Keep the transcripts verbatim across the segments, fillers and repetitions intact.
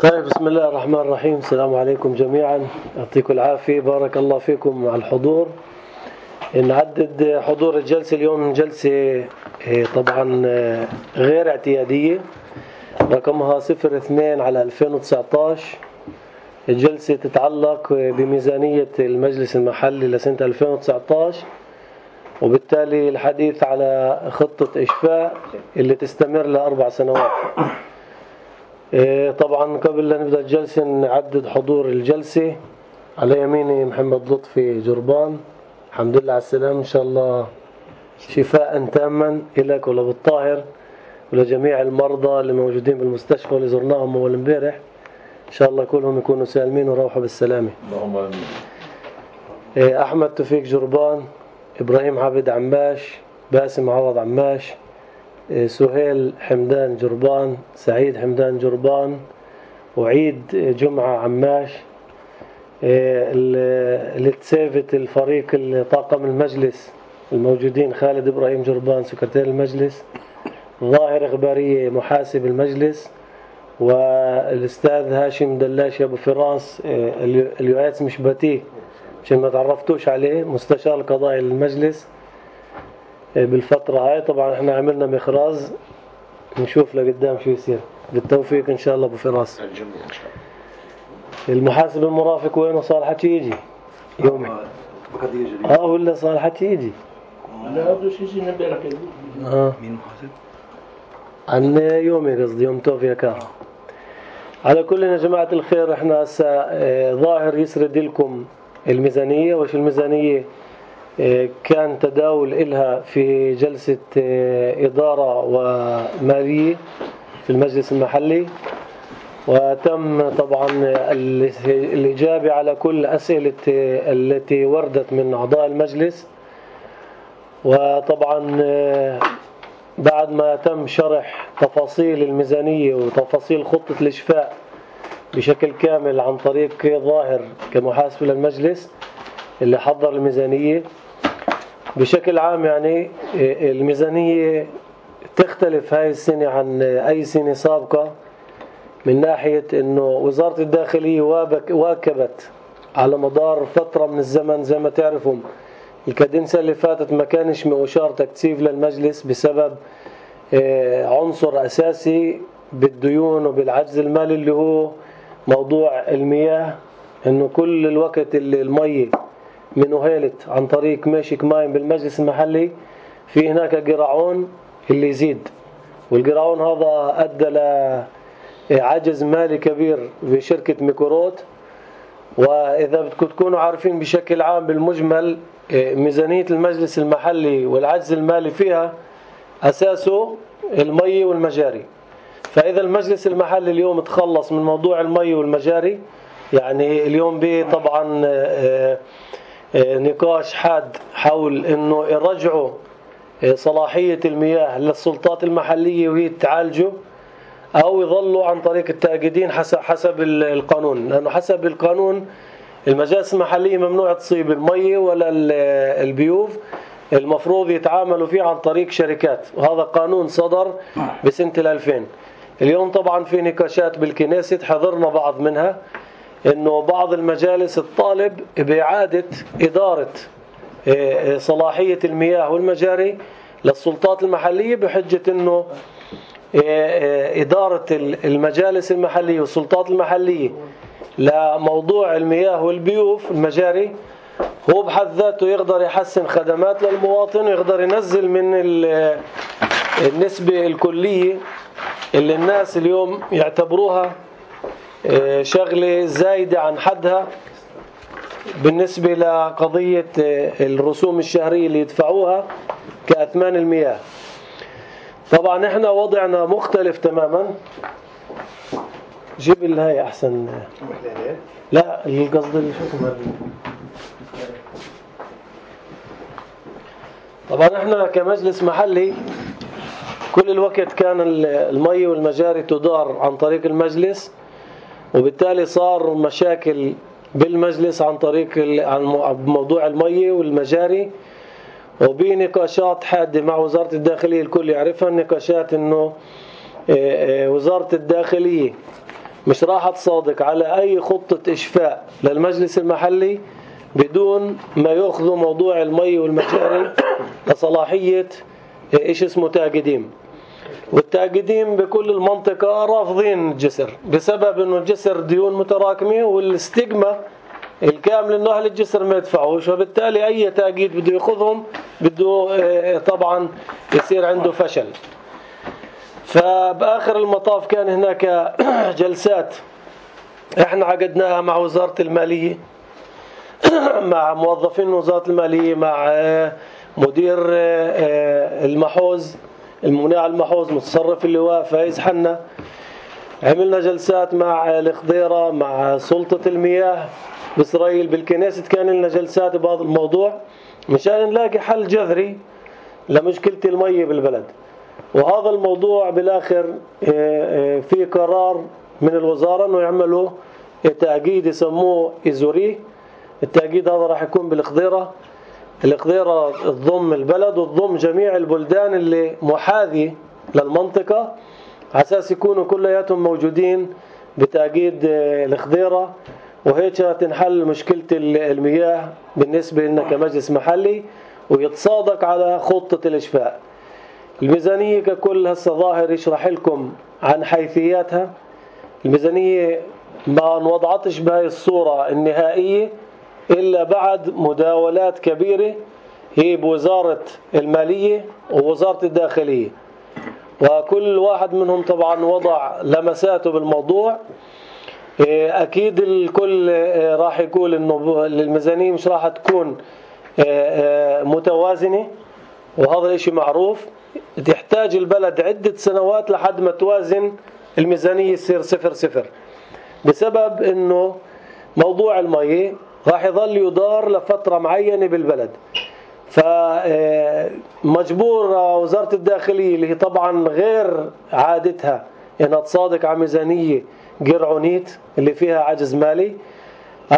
طيب، بسم الله الرحمن الرحيم. السلام عليكم جميعا، يعطيكم العافية، بارك الله فيكم على الحضور. نعدد حضور الجلسة اليوم جلسة طبعا غير اعتيادية، رقمها صفر اثنين على ألفين وتسعطعش. الجلسة تتعلق بميزانية المجلس المحلي لسنة ألفين وتسعطعش، وبالتالي الحديث على خطة إشفاء اللي تستمر لأربع سنوات. طبعا قبل لا نبدأ الجلسة نعدد حضور الجلسة. على يميني محمد لطفي جربان، الحمد لله على السلامة، إن شاء الله شفاء تاما إليك ولأبو الطاهر ولجميع المرضى اللي موجودين بالمستشفى واللي زرناهم أول امبارح، إن شاء الله كلهم يكونوا سالمين وروحوا بالسلامة. اللهم آمين. أحمد توفيق جربان، إبراهيم عبد عماش، باسم عوض عماش، سهيل حمدان جربان، سعيد حمدان جربان، وعيد جمعة عماش. اللي تسافت الفريق طاقم المجلس الموجودين: خالد إبراهيم جربان سكرتير المجلس، ظاهر إخبارية محاسب المجلس، والأستاذ هاشم دلاشي أبو فراس اليوعيتس مشباتي عشان ما تعرفتوش عليه، مستشار القضائي للمجلس بالفترة هاي. طبعا احنا عملنا مخراز، نشوف لقدام شو يصير. بالتوفيق ان شاء الله ابو فراس. المحاسب المرافق وينه؟ صار حكي يجي يومي اه ولا صار حكي يجي؟ لا بده شيء يجي امبارح كده. اه مين محاسب؟ عن يومي قصدي يوم توفيق كار. على كل يا جماعة الخير، احنا هسه ظاهر يسرد لكم الميزانية. وش الميزانية؟ كان تداول إلها في جلسة إدارة ومالية في المجلس المحلي، وتم طبعا الإجابة على كل أسئلة التي وردت من أعضاء المجلس. وطبعا بعد ما تم شرح تفاصيل الميزانية وتفاصيل خطة الإشفاء بشكل كامل عن طريق ظاهر كمحاسب للمجلس اللي حضر الميزانية بشكل عام، يعني الميزانية تختلف هاي السنة عن أي سنة سابقة من ناحية أنه وزارة الداخلية واكبت على مدار فترة من الزمن. زي ما تعرفوا الكادنسة اللي فاتت ما كانش مؤشار تكثيف للمجلس بسبب عنصر أساسي بالديون وبالعجز المالي اللي هو موضوع المياه، أنه كل الوقت اللي المية من وهيلت عن طريق ماشيك ماين بالمجلس المحلي في هناك قراعون اللي يزيد، والقراعون هذا أدى لعجز مالي كبير في شركة ميكوروت. وإذا بدكم تكونوا عارفين بشكل عام بالمجمل ميزانية المجلس المحلي والعجز المالي فيها أساسه المي والمجاري. فإذا المجلس المحلي اليوم تخلص من موضوع المي والمجاري، يعني اليوم به طبعا نقاش حاد حول انه يرجعوا صلاحية المياه للسلطات المحلية وهي تعالجه، او يظلوا عن طريق التأكيدين حسب حسب القانون، لانه حسب القانون المجالس المحلية ممنوع تصيب المي ولا البيوف، المفروض يتعاملوا فيه عن طريق شركات، وهذا قانون صدر بسنة الألفين. اليوم طبعا في نقاشات بالكنيست حضرنا بعض منها، انه بعض المجالس تطالب بإعادة إدارة صلاحية المياه والمجاري للسلطات المحلية، بحجة انه إدارة المجالس المحلية والسلطات المحلية لموضوع المياه والبيوف المجاري هو بحد ذاته يقدر يحسن خدمات للمواطن، ويقدر ينزل من النسبة الكلية اللي الناس اليوم يعتبروها شغلة زايدة عن حدها بالنسبة لقضية الرسوم الشهرية اللي يدفعوها كأثمان المياه. طبعا احنا وضعنا مختلف تماما. جيب الهاي احسن. لا القصد اللي شوفوا. طبعا احنا كمجلس محلي كل الوقت كان المي والمجاري تدار عن طريق المجلس، وبالتالي صار مشاكل بالمجلس عن طريق عن موضوع المي والمجاري، وبنقاشات حادة مع وزارة الداخلية. الكل يعرفها النقاشات انه وزارة الداخلية مش راح تصادق على أي خطة إشفاء للمجلس المحلي بدون ما يأخذوا موضوع المي والمجاري لصلاحية إيش اسمه تاجديم. والتاجديم بكل المنطقة رافضين الجسر بسبب إنه الجسر ديون متراكمة والاستجمة الكامل إنه أهل الجسر ما يدفعوش، وبالتالي أي تأكيد بده يأخذهم بده طبعا يصير عنده فشل. فبآخر المطاف كان هناك جلسات احنا عقدناها مع وزارة المالية، مع موظفين وزارة المالية، مع مدير المحوز المناع المحوز متصرف اللواء فايز حنا. عملنا جلسات مع الخضيرة، مع سلطة المياه بإسرائيل، بالكنيسة كان لنا جلسات بهذا الموضوع مشان نلاقي حل جذري لمشكلة المية بالبلد. وهذا الموضوع بالآخر في قرار من الوزارة إنه يعملوا تأكيد يسموه إزوري. التأكيد هذا راح يكون بالخضيرة. الخضيرة تضم البلد وتضم جميع البلدان اللي محاذية للمنطقة على أساس يكونوا كلياتهم موجودين بتأكيد الخضيرة، وهيك تنحل مشكلة المياه بالنسبة لنا كمجلس محلي ويتصادق على خطة الإشفاء. الميزانية ككل هسه ظاهر يشرح لكم عن حيثياتها. الميزانية ما انوضعتش بهاي الصورة النهائية إلا بعد مداولات كبيرة هي بوزارة المالية ووزارة الداخلية، وكل واحد منهم طبعا وضع لمساته بالموضوع. أكيد الكل راح يقول إنه الميزانية مش راح تكون متوازنة، وهذا الشيء معروف. تحتاج البلد عدة سنوات لحد ما توازن الميزانية يصير صفر صفر، بسبب إنه موضوع المية راح يظل يدار لفترة معينة بالبلد. فمجبور وزارة الداخلية اللي هي طبعا غير عادتها إنها تصادق على ميزانية قرعونيت اللي فيها عجز مالي.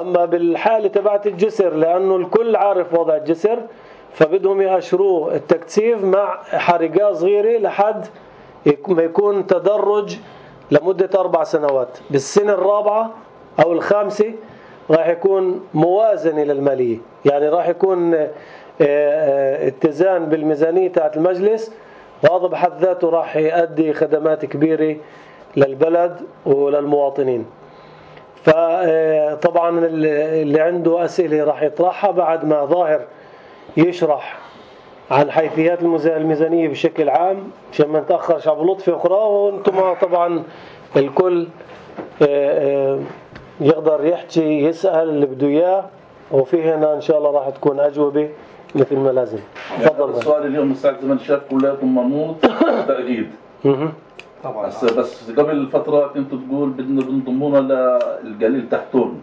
أما بالحالة تبعت الجسر لأنه الكل عارف وضع الجسر، فبدهم يأشروه التكثيف مع حركات صغيرة لحد ما يكون تدرج لمدة أربع سنوات. بالسنة الرابعة أو الخامسة راح يكون موازنة للمالية، يعني راح يكون اتزان بالميزانية تاعت المجلس، وهذا بحد ذاته راح يؤدي خدمات كبيرة للبلد وللمواطنين. فطبعا اللي عنده أسئلة راح يطرحها بعد ما ظاهر يشرح عن حيثيات الميزانية بشكل عام عشان ما نتأخر شعب لطفي أخرى. وانتم طبعا الكل يقدر يحكي يسأل اللي بده إياه، وفي هنا إن شاء الله راح تكون أجوبة مثل ما لازم. تفضل. السؤال اليوم الساعة ثمانية شاف كلياتهم منوط تأكيد طبعا. بس قبل فترة كنت تقول بدنا بنضمونا للقليل تحتون.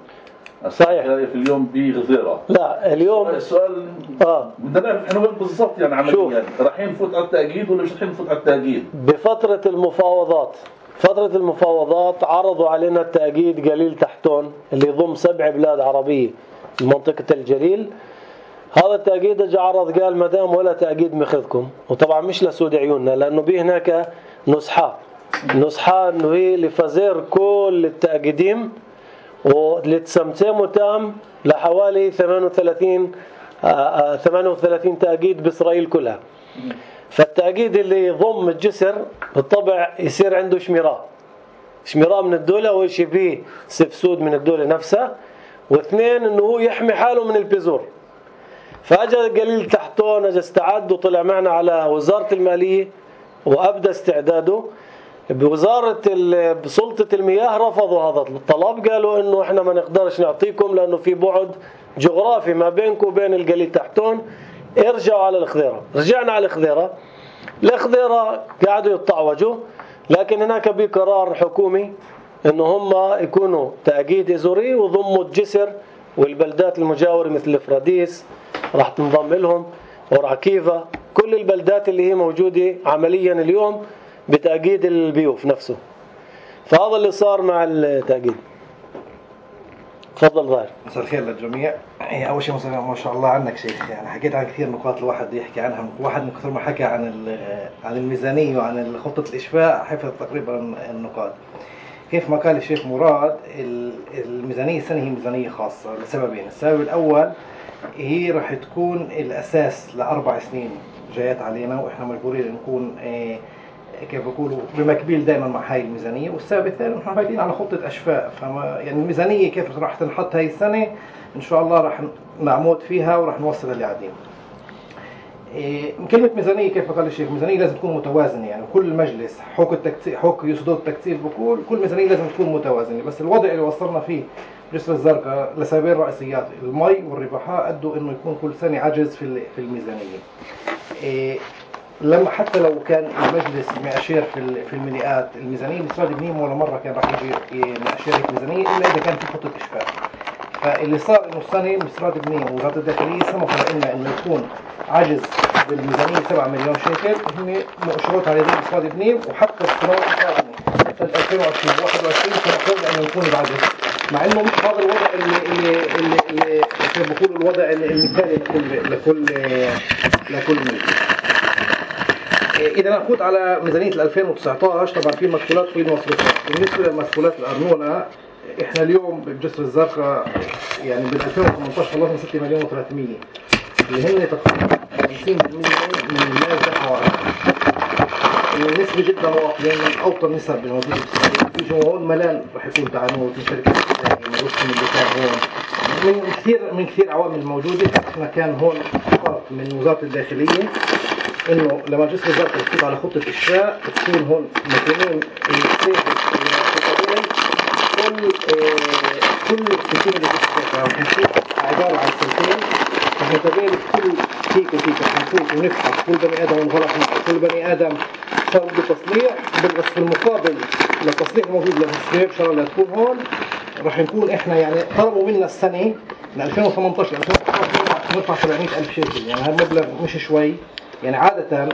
صحيح. في اليوم بغزيرة. لا اليوم السؤال اه بدنا نعرف احنا وين بالضبط يعني عمليا رايحين نفوت على التأكيد ولا مش رايحين نفوت على التأكيد؟ بفترة المفاوضات فترة المفاوضات عرضوا علينا التأكيد قليل تحتون اللي يضم سبع بلاد عربية منطقة الجليل. هذا التأكيد اجى عرض قال ما دام ولا تأكيد مخذكم، وطبعا مش لسود عيوننا لأنه به هناك نصحة نصحة انه هي لفزير كل التأكيدين واللي تسمتموا تام لحوالي ثمانية وثلاثين ثمانية وثلاثين تأكيد بإسرائيل كلها. فالتأكيد اللي يضم الجسر بالطبع يصير عنده شميراء شميراء من الدولة، ويشي فيه سفسود من الدولة نفسها، واثنين انه هو يحمي حاله من البذور. فاجى قليل تحتون اجى استعد وطلع معنا على وزارة المالية وابدى استعداده. بوزارة بسلطة المياه رفضوا هذا الطلب، قالوا انه احنا ما نقدرش نعطيكم لانه في بعد جغرافي ما بينكم وبين القليل تحتون، ارجعوا على الخضيرة. رجعنا على الخضيرة. الخضيرة قاعدوا يتطعوجوا، لكن هناك بقرار حكومي انه هم يكونوا تأكيد ازوري وضموا الجسر والبلدات المجاورة مثل فراديس راح تنضم لهم، ورعكيفة، كل البلدات اللي هي موجودة عمليا اليوم بتأكيد البيوف نفسه. فهذا اللي صار مع التأكيد. تفضل ظاهر. مساء الخير للجميع. اول شيء ما شاء الله عنك شيخ، يعني حكيت عن كثير نقاط الواحد يحكي عنها. واحد من كثر ما حكى عن عن الميزانيه وعن خطه الاشفاء حفظ تقريبا النقاط. كيف ما قال الشيخ مراد الميزانية السنة هي ميزانية خاصة لسببين. السبب الأول هي راح تكون الأساس لأربع سنين جايات علينا، وإحنا مجبورين نكون اه كيف بقولوا بمكبيل دائما مع هاي الميزانية. والسبب الثاني نحن فايتين على خطة أشفاء، فما يعني الميزانية كيف راح تنحط هاي السنة إن شاء الله راح نعمود فيها وراح نوصل اللي عادين. إيه كلمة ميزانية كيف قال الشيخ، ميزانية لازم تكون متوازنة، يعني كل مجلس حق التكتيب حق يصدر التكتيب بقول كل ميزانية لازم تكون متوازنة. بس الوضع اللي وصلنا فيه جسر الزرقاء لسببين رئيسيات، المي والربحاء أدوا إنه يكون كل سنة عجز في في الميزانية. إيه لما حتى لو كان المجلس مأشير في في المليئات الميزانية، مصراد بنيم ولا مرة كان راح يجي مأشير الميزانية إلا إذا كان في خطة إشفاء. فاللي صار إنه السنة مصراد بنيم ووزارة الداخلية سمحوا لنا إنه يكون عجز بالميزانية سبعة مليون شيكل، هن مؤشرات على يدين مصراد بنيم. وحتى السنوات القادمة سنة ألفين وعشرين وواحد وعشرين سمحوا لنا إنه يكون بعجز، مع إنه مش هذا الوضع اللي اللي اللي, اللي كيف بقولوا الوضع المثالي لكل لكل لكل مجلس. إذا نفوت على ميزانية ألفين وتسعة عشر طبعا في مدخولات وفي مصروفات. بالنسبة للمدخولات الأرنونة إحنا اليوم بجسر الزرقاء يعني بال ألفين وثمانية عشر خلصنا ستة مليون وثلاثمية اللي هن تقريبا خمسين بالمية من الناس دفعوا. النسبة جدا واطية من أوطى النسب الموجودة بالسعودية. في هون ملان رح يكون تعنوت من شركة الإسلامية من رسم اللي كان هون من كثير من كثير عوامل موجودة. إحنا كان هون خط من وزارة الداخلية إنه لما جسر الزرقاء يفوت على خطة إشفاء تكون هون مكانين السيف الطبيعي كل كل السكين اللي جسر الزرقاء نشوف عبارة عن سنتين متابعين كل فيك وفيك نفوت ونفحص كل بني آدم انغلق معه، كل بني آدم صار بده تصليح. بس في المقابل للتصليح الموجود للسيف شرع اللي تكون هون راح نكون إحنا يعني طلبوا منا السنة من ألفين وثمانية عشر ل ألفين وتسعة عشر ندفع سبعمية ألف شيكل. يعني هالمبلغ مش شوي، يعني عادة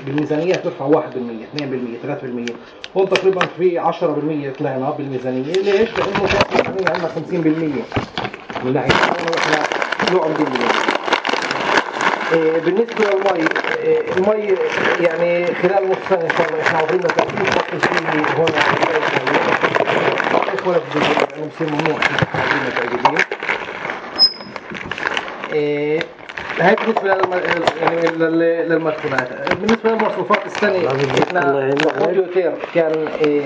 بالميزانيات ترفع واحد بالمية اثنين بالمية ثلاثة بالمية، هون تقريبا في عشرة بالمية طلعنا بالميزانية. ليش؟ لأنه كان عندنا خمسين بالمية من ناحية العونة وإحنا نوعا بالمية. إيه بالنسبة للمي، إيه المي يعني خلال نص سنة إن شاء الله إحنا عبرنا تأكيد فصل فيه هون ولا في الجزء لأنه بصير ممنوع إحنا عبرنا تأكيدين. إيه هاي بالنسبة يعني للمدخولات. بالنسبة للمصروفات السنة احنا كمبيوتر كان إيه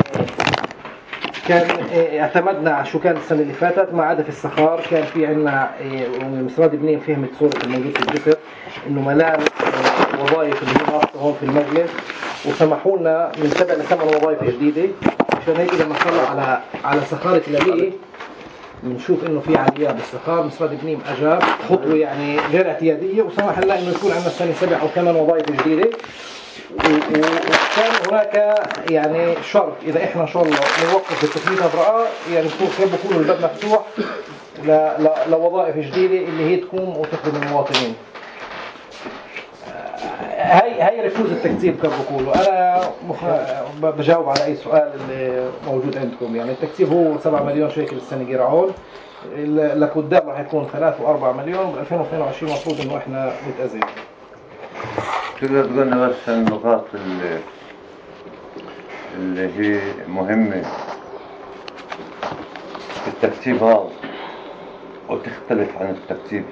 كان إيه اعتمدنا شو كان السنة اللي فاتت ما عدا في السخار. كان في عنا إيه مصراد بنين فهمت صورة الموجود في الجسر إنه ملان إيه وظائف اللي هي ناقصة هون في المجلس، وسمحوا لنا من سبع لثمان وظائف جديدة. عشان هيك لما نطلع على على سخارة الأليه بنشوف انه في عاليات بالسخار. مصراد بنيم اجاب خطوه يعني غير اعتياديه وسمح لنا انه يكون عندنا السنه سبع او ثمان وظائف جديده. وكان هناك يعني شرط اذا احنا ان شاء الله نوقف التثبيت ابراء يعني كيف بكون الباب مفتوح لوظائف جديده اللي هي تقوم وتخدم المواطنين. هاي هاي رفوز التكتيب كيف بقولوا. انا بجاوب على اي سؤال اللي موجود عندكم. يعني التكتيب هو سبعة مليون شيكل السنه جرعون، لقدام راح يكون ثلاثة وأربعة مليون. ب ألفين واثنين وعشرين المفروض انه احنا نتأزم. تقدر تقول لنا بس النقاط اللي اللي هي مهمه في التكتيب هذا وتختلف عن التكتيب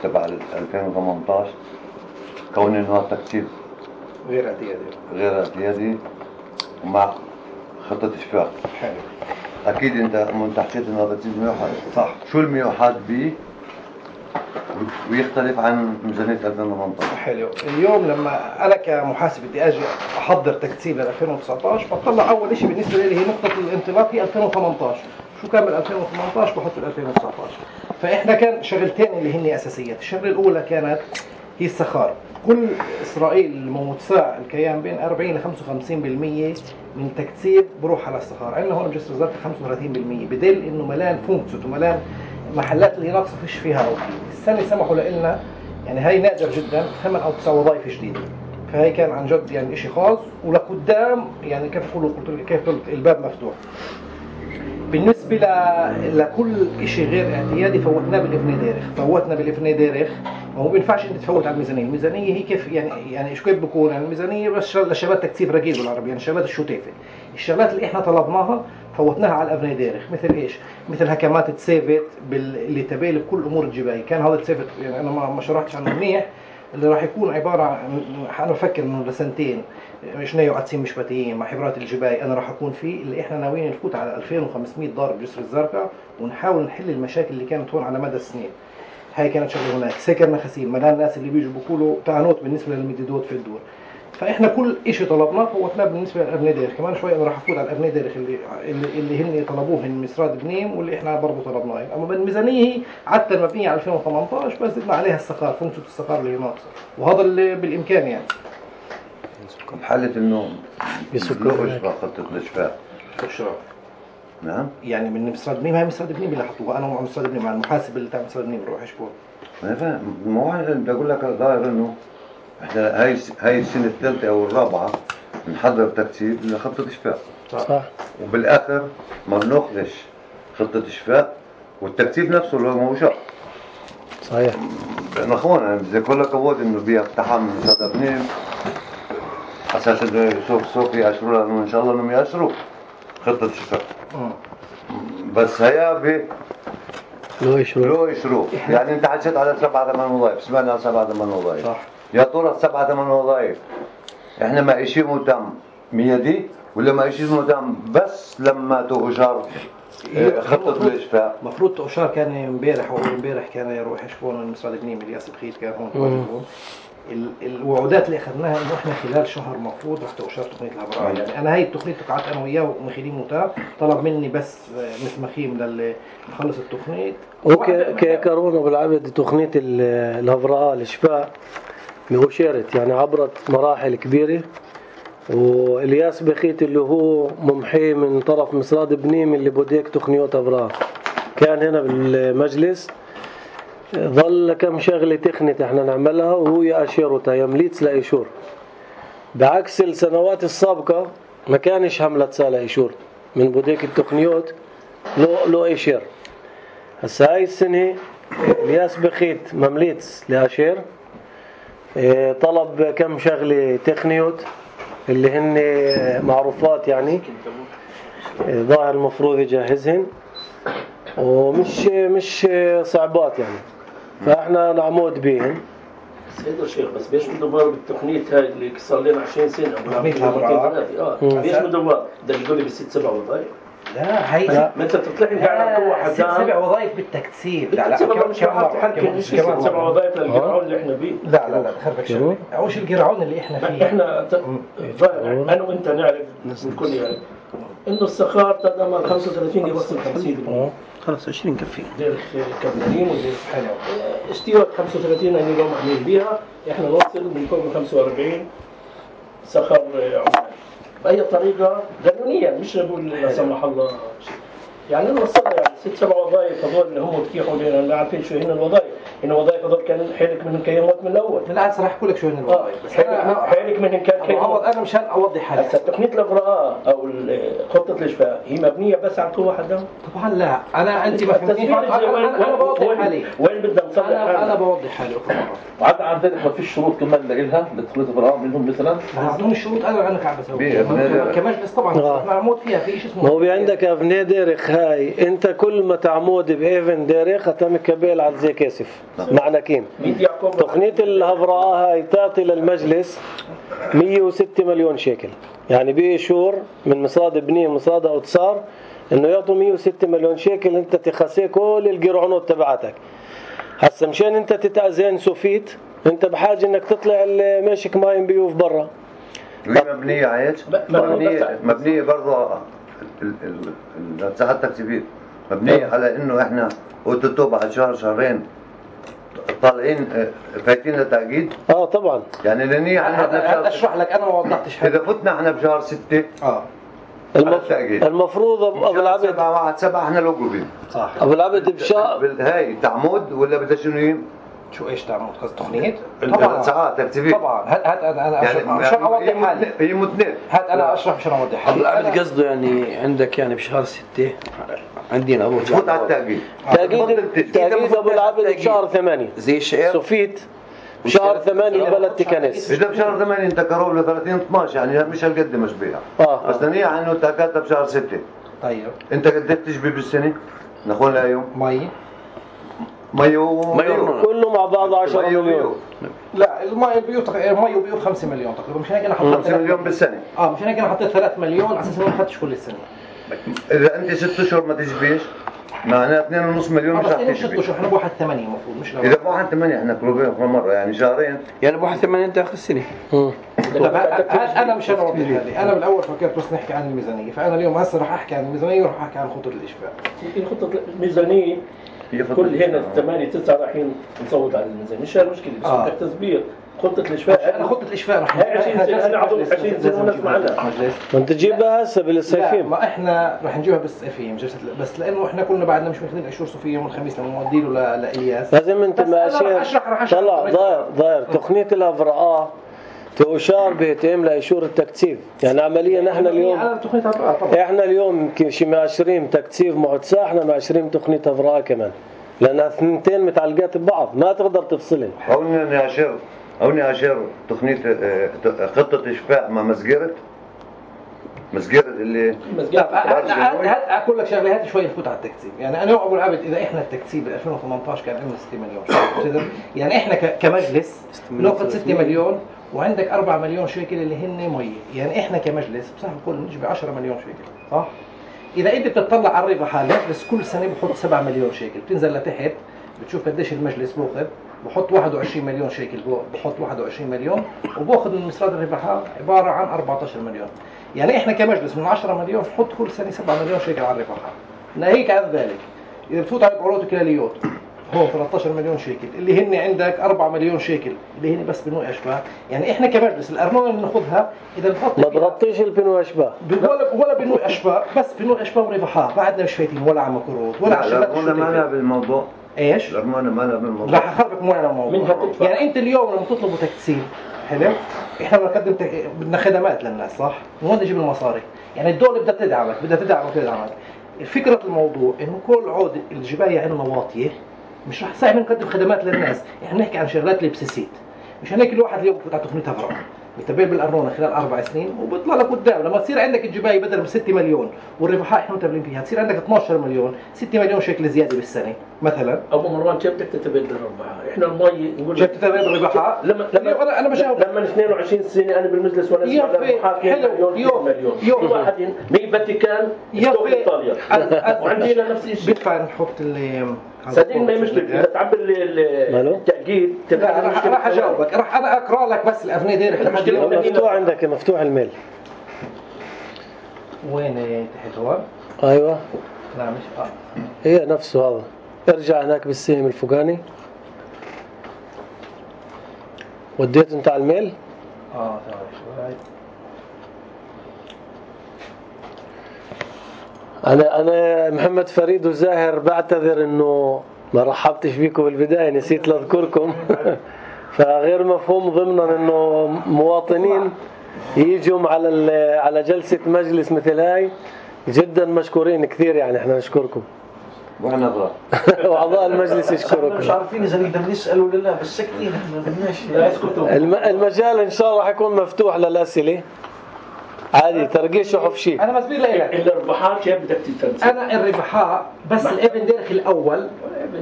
تبع ألفين وثمانية عشر كون انه هذا التكتيب غير اعتيادي غير اعتيادي ومع خطة إشفاء. حلو. أكيد أنت أنت حكيت إنه هذا التكتيب موحد. صح. شو الموحد به ويختلف عن ميزانية ألفين وثمانية عشر؟ حلو. اليوم لما أنا كمحاسب بدي أجي أحضر تكتيب ل ألفين وتسعة عشر بطلع أول شيء بالنسبة لي هي نقطة الانطلاق هي ألفين وثمانية عشر. شو كان بال ألفين وثمانية عشر بحط ال ألفين وتسعة عشر. فإحنا كان شغلتين اللي هن أساسيات. الشغلة الأولى كانت هي السخار. كل إسرائيل متساع الكيان بين أربعين إلى خمسة وخمسين بالمية من تكتيب بروح على السخار. عندنا هون بجسر الزرقاء خمسة وثلاثين بالمية بدل إنه ملان فونكسوت وملان محلات اللي ناقصة فيش فيها أوكي. السنة سمحوا لنا يعني هاي نادر جدا ثمان أو تسع وظائف جديدة. فهي كان عن جد يعني إشي خاص ولقدام يعني كيف أقول قلت كيف قلت الباب مفتوح. بالنسبة ل... لكل إشي غير اعتيادي فوتنا بالإفني ديرخ. فوتنا بالإفني ديرخ ما هو بينفعش انت تفوت على الميزانيه، الميزانيه هي كيف يعني يعني ايش كيف بكون يعني الميزانيه بس لشغلات تكثيف رقيق بالعربي، يعني شغلات الشوتيفه. الشغلات اللي احنا طلبناها فوتناها على الابناء دارخ، مثل ايش؟ مثل هكمات تسيفت اللي تبين بكل امور الجبايه، كان هذا السيفت يعني انا ما ما شرحتش عنه منيح، اللي راح يكون عباره عن انا بفكر انه لسنتين شنيو عدسين مشبتيين مع حبرات الجباي انا راح اكون فيه، اللي احنا ناويين نفوت على ألفين وخمسمية ضارب جسر الزرقاء ونحاول نحل المشاكل اللي كانت هون على مدى السنين. هاي كانت شغله هناك، سكرنا خسيم مدام الناس اللي بيجوا بيقولوا تعنوت بالنسبه للمديدوت في الدور. فاحنا كل شيء طلبناه فوتناه بالنسبه للابناء دارخ، كمان شوي انا راح افوت على الابناء دارخ اللي اللي, اللي هن طلبوه من مسراد بنيم واللي احنا برضه طلبناه. اما بالميزانيه هي عاده مبنيه على ألفين وثمانطعش بس زدنا عليها السقار، فونكشن السقار اللي هي ناقصه، وهذا اللي بالامكان يعني. بحالة انه بيسكروا اشراف خطة الاشفاء. اشراف. نعم. يعني من مسراد بنيم، هاي مسراد بنيم اللي حطوها انا ومع مسراد بنيم مع المحاسب اللي تاع مسراد بنيم بروح اشبه. انا فاهم، ما هو بدي اقول لك ظاهر انه احنا هاي هاي السنة الثالثة او الرابعة نحضر ترتيب لخطة اشفاء. صح. وبالاخر ما بناخذش خطة اشفاء والترتيب نفسه اللي هو شرط. صحيح. لأن أخوانا بدي أقول لك أود إنه بيها اقتحام مسراد بنيم أساس إنه سوف سوف يأشروا لأنه إن شاء الله إنهم يأشروا خطة الشفاء. بس هيا ب لو يشرو لو يشرو يعني أنت حكيت على سبعة ثمان وظائف، سمعنا على سبعة ثمان وظائف. صح. يا ترى السبعة ثمان وظائف إحنا ما إشي مهتم ميدي ولا ما إشي مهتم بس لما تؤجر خطة الإشفاء؟ المفروض تؤشار كان امبارح واول امبارح كان يروح يشوفون من مسراد بنيم الياس بخيت كان هون واجبهم. الوعودات اللي اخذناها انه احنا خلال شهر مفروض رح تؤشر تقنيه الهبراء. يعني انا هاي التقنيه تقعت انا وياه ومخيلين موتار، طلب مني بس مثل مخيم للي نخلص التقنيه. اوكي كارون ابو العبد تقنيه الهبراء الاشفاء مؤشرت يعني عبرت مراحل كبيره، والياس بخيت اللي هو ممحي من طرف مسراد بنيم اللي بوديك تقنيات هبراء كان هنا بالمجلس، ظل كم شغله تقنيه احنا نعملها وهو يأشرتها يمليتس لإيشور، بعكس السنوات السابقه ما كانش هملت سالة إيشور من بوديك التقنيات لو لو إيشير. هسا هاي السنه الياس بخيت ممليتس لأشير، طلب كم شغله تقنيات اللي هن معروفات يعني ظاهر المفروض يجهزهن ومش مش صعبات يعني، فاحنا نعمود بيهن. سيد الشيخ بس بيش مدبر بالتقنية هاي اللي صار لنا عشرين سنة تقنية الهبراء اه بيش مدبر ده يقول لي بالست سبع وظائف. لا هي لا ما انت بتطلع لي على قوة حدام ست سبع وظائف بالتكثيف. لا لا كم مش كم ست سبع وظائف للقرعون اللي احنا بيه. لا لا لا خربك شوي اوش القرعون اللي احنا فيه احنا انا وانت نعرف الكل يعرف انه السخار تقدم خمسة وثلاثين يوصل خمسين خلاص عشرين كفي دير كابتنين ودير حلو اشتيوت خمسة وثلاثين اللي اليوم عاملين بيها احنا نوصل من فوق خمسة وأربعين سخر عمان باي طريقه قانونيا مش نقول لا سمح الله يعني نوصلها يعني ست سبع وظائف هذول اللي هم اتيحوا لنا ما عارفين شو هن الوظائف. إن وظائف هذول كان حيلك منهم كان يموت من الأول. لا أصرح أقول لك شو هن الوظائف. بس حيلك منهم كان كان يموت. أنا مشان أوضح حالي. هسه تقنية الإبراء أو خطة الإشفاء هي مبنية بس على قوة حدهم. طبعا لا أنا أنت ما فهمتني. أنا أنا بوضح حالي. وين بدنا نصلح أنا أنا بوضح حالي. وعاد عندك ما فيش شروط كمان لإلها لتقنية الإبراء منهم مثلا. هذول الشروط أنا أنا كعب أسوي. كمجلس طبعا معمود فيها في شيء اسمه. ما هو عندك أبناء ديرخ هاي أنت كل ما تعمود بإيفن ديرخ هتعمل كبيل على زي كاسف. معنى كيم تقنية الهبراء هاي تعطي للمجلس مية وستة مليون شيكل يعني بشهور من مصاد بنية مصاد أوتصار إنه يعطوا مية وستة مليون شيكل أنت تخسي كل الجرعونات تبعتك. هسا مشان أنت تتأذن سوفيت أنت بحاجة إنك تطلع الماشك ماين بيوف برا. وهي مبنية عايش مبنية مبنية برضو الساعات التكتيفية مبنية على إنه إحنا أوتوتو بعد شهر شهرين طالعين فايتين لتأكيد. اه طبعا يعني لاني انا اشرح لك انا ما وضحتش حاجه. اذا فتنا احنا بشهر ستة اه المف... المفروض ابو العبد سبعة واحد سبعة احنا لوجوبين صح ابو العبد بشهر هاي تعمود ولا بدها شنو شو ايش تعمل قصد تقنيه؟ طبعا ساعات تكتيفيه طبعا هات هات انا انا يعني عشان اوضح حالي هي متنين هات انا اشرح عشان اوضح حالي. هلا عمل قصده يعني عندك يعني بشهر ستة عندنا ابو فوت على التأجيل تأجيل تأجيل ابو العبد بشهر ثمانية زي الشعر صفيت بشهر ثمانية بلد تكنس. اذا بشهر ثمانية انت قرب ل ثلاثين اثناشر يعني مش هالقد مش بيها اه بس دنيا عنه انت كاتب بشهر ستة. طيب انت قد ايه بتجبي بالسنه؟ نقول لها مي ميو ميو كله مع بعض عشرة مليون. لا المي البيوت المي وبيوت خمسة مليون تقريبا مش هيك انا حطيت خمسة مليون بالسنه. اه مش هيك انا حطيت ثلاثة مليون على اساس ما حطش كل السنه. اذا انت ست اشهر ما تجبيش معناها اثنين ونص مليون مش رح تجبي. ست تجبي. اشهر احنا بواحد ثمانية المفروض مش اذا بواحد ثمانية احنا قريبين مره يعني شهرين يعني بواحد ثمانية انت اخر السنه. انا مش انا اوضح هذه انا بالاول فكرت بس نحكي عن الميزانيه فانا اليوم هسه رح احكي عن الميزانيه وراح احكي عن خطه الاشفاء. يمكن خطه الميزانيه كل هنا ثمانية تسعة رايحين نصوت على الميزانيه مش المشكله بس آه. بدك تثبيت خطه الاشفاء. انا خطه الاشفاء رح هاي عشرين سنه انا عضو عشرين سنه ونسمع عنها. ما انت تجيبها هسه بالصيفين. ما احنا رح نجيبها بالصيفين بس لانه احنا كلنا بعدنا مش ماخذين اشهر صيفيه يوم الخميس لما نودي له لالياس. لازم انت ماشي طلع ضاير ضاير تقنيه الافراء تؤشار بيتم لإشور التكثيف يعني عمليا نحن اليوم احنا اليوم شي ماشرين تكثيف معتسى احنا ماشرين تقنيه افراء كمان لانها اثنتين متعلقات ببعض ما تقدر تفصلن. هوني انا اشير هوني اشير تقنيه خطه اشفاء مع مسجره مسجره اللي مسجره. هات اقول لك شغله هات شوي نفوت على التكثيف يعني انا ابو العبد اذا احنا التكثيف ب ألفين وثمانية عشر كان عندنا ستة مليون يعني احنا كمجلس بناخذ ستة مليون وعندك أربعة مليون شيكل اللي هن مي يعني احنا كمجلس بصح الكل بنجيب عشرة مليون شيكل صح. اذا انت بتطلع على الربح المجلس كل سنه بحط سبعة مليون شيكل بتنزل لتحت بتشوف قديش المجلس باخذ بحط واحد وعشرين مليون شيكل بحط واحد وعشرين مليون وباخذ من مصادر الربح عباره عن أربعة عشر مليون يعني احنا كمجلس من عشرة مليون بحط كل سنه سبعة مليون شيكل على الربح. ناهيك عن ذلك اذا بتفوت على العروض الكلاليات هون ثلاثة عشر مليون شيكل اللي هن عندك أربعة مليون شيكل اللي هن بس بنوع اشباه يعني احنا كمجلس الارنونه اللي بناخذها اذا بنحط ما تغطيش البنوع اشباه ولا ولا بنوع اشباه بس بنوع اشباه وربحات بعدنا مش فايتين ولا على مكروت ولا على شغلات الارنونه ما لها بالموضوع. ايش؟ الارنونه ما لها بالموضوع. راح اخربك مو على الموضوع يعني انت اليوم لما تطلبوا تكثيف حلو احنا بنقدم تك... بدنا خدمات للناس صح؟ من وين نجيب المصاري؟ يعني الدوله بدها تدعمك بدها تدعمك تدعمك فكره الموضوع انه كل عود الجبايه عندنا واطيه مش رح صعب نقدم خدمات للناس يعني نحكي عن شغلات البسيسيت مش هيك الواحد اليوم بفوت على تقنيه افراح بيتبع بالارنونه خلال اربع سنين وبيطلع لك قدام لما تصير عندك الجبايه بدل ب ستة مليون والربحاء احنا متبلين فيها تصير عندك اثني عشر مليون ستة مليون شيكل زياده بالسنه مثلا. ابو مروان كيف بدك تتبادل الربحاء؟ احنا المي نقول كيف تتبادل الربحاء؟ لما لما انا انا بجاوب لما اثنين وعشرين سنه انا بالمجلس وانا اسمع الربحاء مليون مليون يوم واحد مي فاتيكان ستوك ايطاليا وعندنا نفس الشيء بيدفع نحط اللي صدقني ما هي مشكله بس تعبر التأكيد راح راح اجاوبك راح انا اقرا لك بس الافنيه ديرك مفتوح عندك مفتوح الميل وين تحت هون؟ ايوه لا مش اه هي نفسه هذا ارجع هناك بالسهم الفوقاني وديت انت على الميل اه تمام شوي انا انا محمد فريد وزاهر بعتذر انه ما رحبتش بيكم بالبدايه نسيت اذكركم فغير مفهوم ضمنا انه مواطنين يجوا على على جلسه مجلس مثل هاي جدا مشكورين كثير يعني احنا نشكركم واحنا اضرار واعضاء المجلس يشكركم مش عارفين اذا نقدر نسال ولا لا بس ساكتين احنا بدناش المجال ان شاء الله حيكون مفتوح للاسئله عادي ترقيش وحفشي. انا مسبير لك الربحات كيف بدك تتنسى؟ انا الربحاء بس الابن ديرك الاول